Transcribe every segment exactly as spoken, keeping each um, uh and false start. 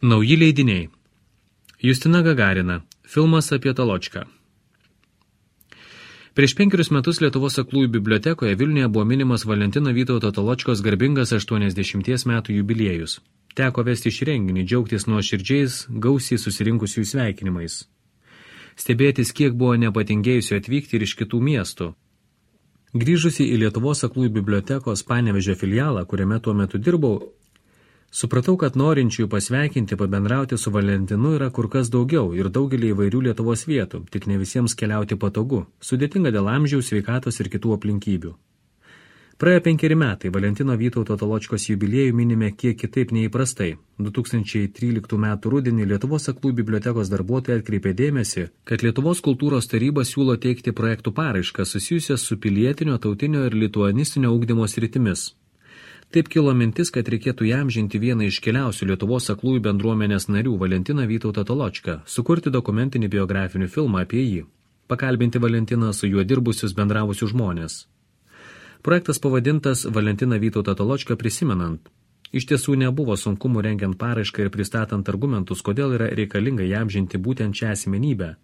Nauji leidiniai. Justina Gagarina. Filmas apie Toločką. Prieš penkerius metus Lietuvos aklųjų bibliotekoje Vilniuje buvo minimas Valentino Vytauto Toločkos garbingas aštuoniasdešimties metų jubiliejus. Teko vesti šį renginį, džiaugtis nuoširdžiais, gausiai susirinkusių sveikinimais. Stebėtis, kiek buvo nepatingėjusių atvykti ir iš kitų miestų. Grįžusi į Lietuvos aklųjų bibliotekos Panevėžio filialą, kuriame tuo metu dirbau, supratau, kad norinčiųjų pasveikinti, pabendrauti su Valentinu yra kur kas daugiau ir daugelį įvairių Lietuvos vietų, tik ne visiems keliauti patogu, sudėtinga dėl amžiaus, sveikatos ir kitų aplinkybių. Praėjo penkeri metai, Valentino Vytauto Toločkos jubiliejų minime kiek kitaip neįprastai. du tūkstančiai tryliktų metų rudenį Lietuvos aklųjų bibliotekos darbuotojai atkreipė dėmesį, kad Lietuvos kultūros taryba siūlo teikti projektų paraiškas susijusias su pilietinio, tautinio ir lituanistinio ugdymo sritimis. Taip kilo mintis, kad reikėtų įamžinti vieną iš keliausių Lietuvos aklųjų bendruomenės narių, Valentiną Vytautą Toločką, sukurti dokumentinį biografinį filmą apie jį, pakalbinti Valentiną su juo dirbusius bendravusius žmonės. Projektas pavadintas Valentiną Vytautą Toločką prisimenant. Iš tiesų nebuvo sunkumų rengiant paraišką ir pristatant argumentus, kodėl yra reikalinga įamžinti būtent šią asmenybę.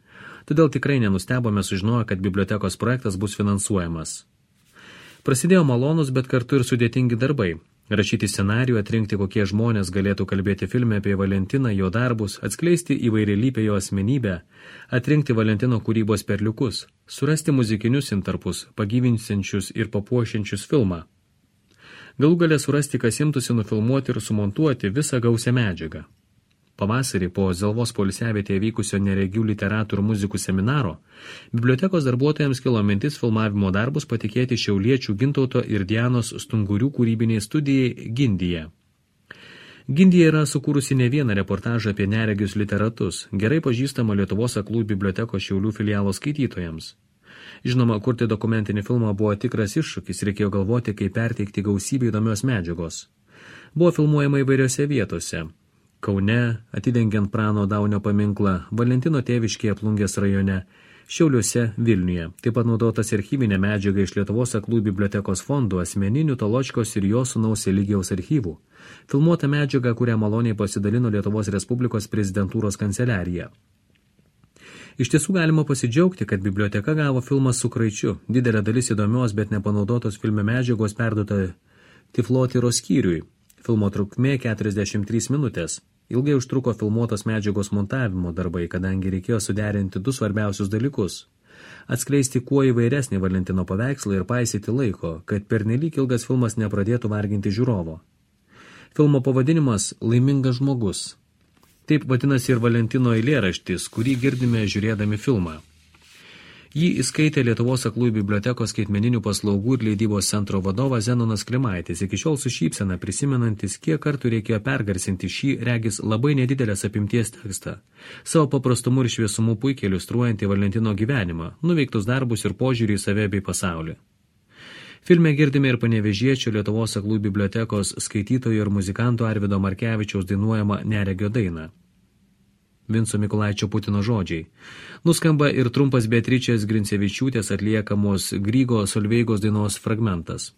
Todėl tikrai nenustebome sužinoję, kad bibliotekos projektas bus finansuojamas. Prasidėjo malonus, bet kartu ir sudėtingi darbai. Rašyti scenarijų, atrinkti, kokie žmonės galėtų kalbėti filme apie Valentiną, jo darbus, atskleisti įvairialypę jo asmenybę, atrinkti Valentino kūrybos perliukus, surasti muzikinius intarpus, pagyvinsiančius ir papuošiančius filmą. Galų galę surasti, kas imtųsi nufilmuoti ir sumontuoti visą gausią medžiagą. Pavasarį po Zelvos poilsiavietėje vykusio neregių literatų ir muzikų seminaro, bibliotekos darbuotojams kilo mintis filmavimo darbus patikėti šiauliečių Gintauto ir Dianos Stungurių kūrybiniai studijai Gindija. Gindija yra sukūrusi ne vieną reportažą apie neregius literatus, gerai pažįstama Lietuvos aklųjų bibliotekos Šiaulių filialo skaitytojams. Žinoma, kurti dokumentinį filmą buvo tikras iššūkis, reikėjo galvoti, kaip perteikti gausybę įdomios medžiagos. Buvo filmuojama įvairiose vietose. Kaune, atidengiant Prano Daunio paminklą, Valentino tėviškėje Plungės rajone, Šiauliuose, Vilniuje. Taip pat naudotas archyvinė medžiaga iš Lietuvos aklųjų bibliotekos fondų, asmeninių Toločkos ir jo sūnaus Eligijaus archyvų. Filmuota medžiaga, kurią maloniai pasidalino Lietuvos Respublikos prezidentūros kanceliarija. Iš tiesų galima pasidžiaugti, kad biblioteka gavo filmą su kraičiu. Didelė dalis įdomios, bet nepanaudotos filme medžiagos perduota Tiflotyros skyriui. Filmo trukmė keturiasdešimt trys minutės. Ilgai užtruko filmuotos medžiagos montavimo darbai, kadangi reikėjo suderinti du svarbiausius dalykus. Atskleisti kuo įvairesnį Valentino paveikslą ir paisyti laiko, kad pernelyg ilgas filmas nepradėtų varginti žiūrovo. Filmo pavadinimas Laimingas žmogus. Taip vadinasi ir Valentino eilėraštis, kurį girdime žiūrėdami filmą. Jį įskaitė Lietuvos aklųjų bibliotekos skaitmeninių paslaugų ir leidybos centro vadovas Zenonas Klimaitis, iki šiol su šypsena prisimenantis, kiek kartų reikėjo pergarsinti šį, regis, labai nedidelės apimties tekstą. Savo paprastumu ir šviesumu puikiai iliustruojantį Valentino gyvenimą, nuveiktus darbus ir požiūrį į save bei pasaulį. Filme girdime ir panevėžiečio Lietuvos aklųjų bibliotekos skaitytojo ir muzikanto Arvydo Markevičiaus dainuojama Neregio dainą. Vinco Mikulaičio Putino žodžiai. Nuskamba ir trumpas Beatričės Grincevičiūtės atliekamos Grygo Solveigos dainos fragmentas.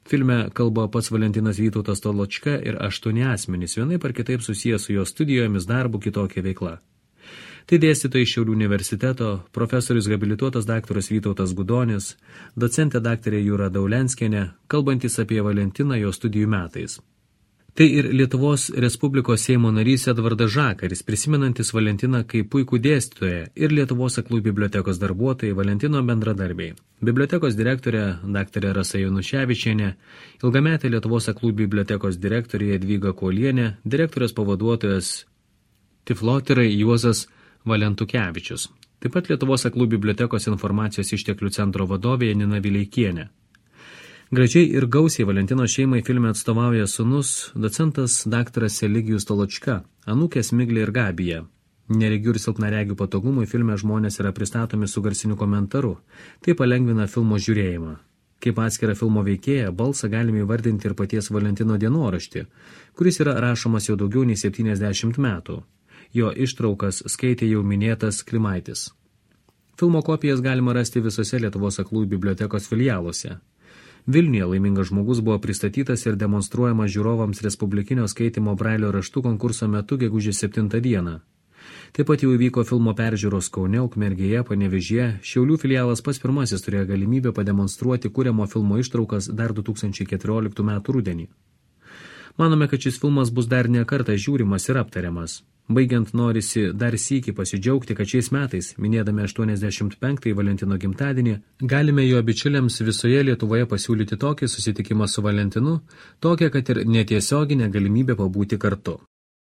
Filme kalba pats Valentinas Vytautas Toločka ir aštuoni asmenys, vienaip ar kitaip susijęs su jo studijomis, darbu, kitokia veikla. Tai dėstytojai Šiaulių universiteto, profesorius habilituotas daktaras Vytautas Gudonis, docentė daktarė Jūra Daulenskienė, kalbantis apie Valentiną jo studijų metais. Tai ir Lietuvos Respublikos Seimo narys Edvardas Žakaris, prisimenantis Valentiną kaip puikų dėstytoją, ir Lietuvos aklųjų bibliotekos darbuotojai Valentino bendradarbiai. Bibliotekos direktorė daktarė Rasa Januševičienė, ilgametė Lietuvos aklųjų bibliotekos direktorė Jadvyga Kuolienė, direktorės pavaduotojas Tiflotyrai Juozas Valentukevičius. Taip pat Lietuvos aklųjų bibliotekos informacijos išteklių centro vadovė Janina Vileikienė. Gražiai ir gausiai Valentino šeimai filme atstovauja sūnus, docentas daktaras Eligijus Toločka, anūkės Miglė ir Gabija. Neregių ir silpnaregių patogumui filme žmonės yra pristatomi su garsiniu komentaru. Tai palengvina filmo žiūrėjimą. Kaip atskirą filmo veikėją, balsą galime įvardinti ir paties Valentino dienoraštį, kuris yra rašomas jau daugiau nei septyniasdešimt metų. Jo ištraukas skaitė jau minėtas Klimaitis. Filmo kopijas galima rasti visose Lietuvos aklųjų bibliotekos filialuose. Vilniuje laimingas žmogus buvo pristatytas ir demonstruojamas žiūrovams Respublikinio skaitymo brailio raštų konkurso metu gegužės septintą dieną. Taip pat jau įvyko filmo peržiūros Kaune, Ukmergėje, Panevėžyje. Šiaulių filialas pats pirmasis turėjo galimybę pademonstruoti kuriamo filmo ištraukas dar du tūkstančiai keturioliktų metų rudenį. Manome, kad šis filmas bus dar ne kartą žiūrimas ir aptariamas. Baigiant norisi dar sykį pasidžiaugti, kad šiais metais, minėdami aštuoniasdešimt penktąjį Valentino gimtadienį, galime jo bičiuliams visoje Lietuvoje pasiūlyti tokį susitikimą su Valentinu, tokią, kad ir netiesioginę galimybę pabūti kartu.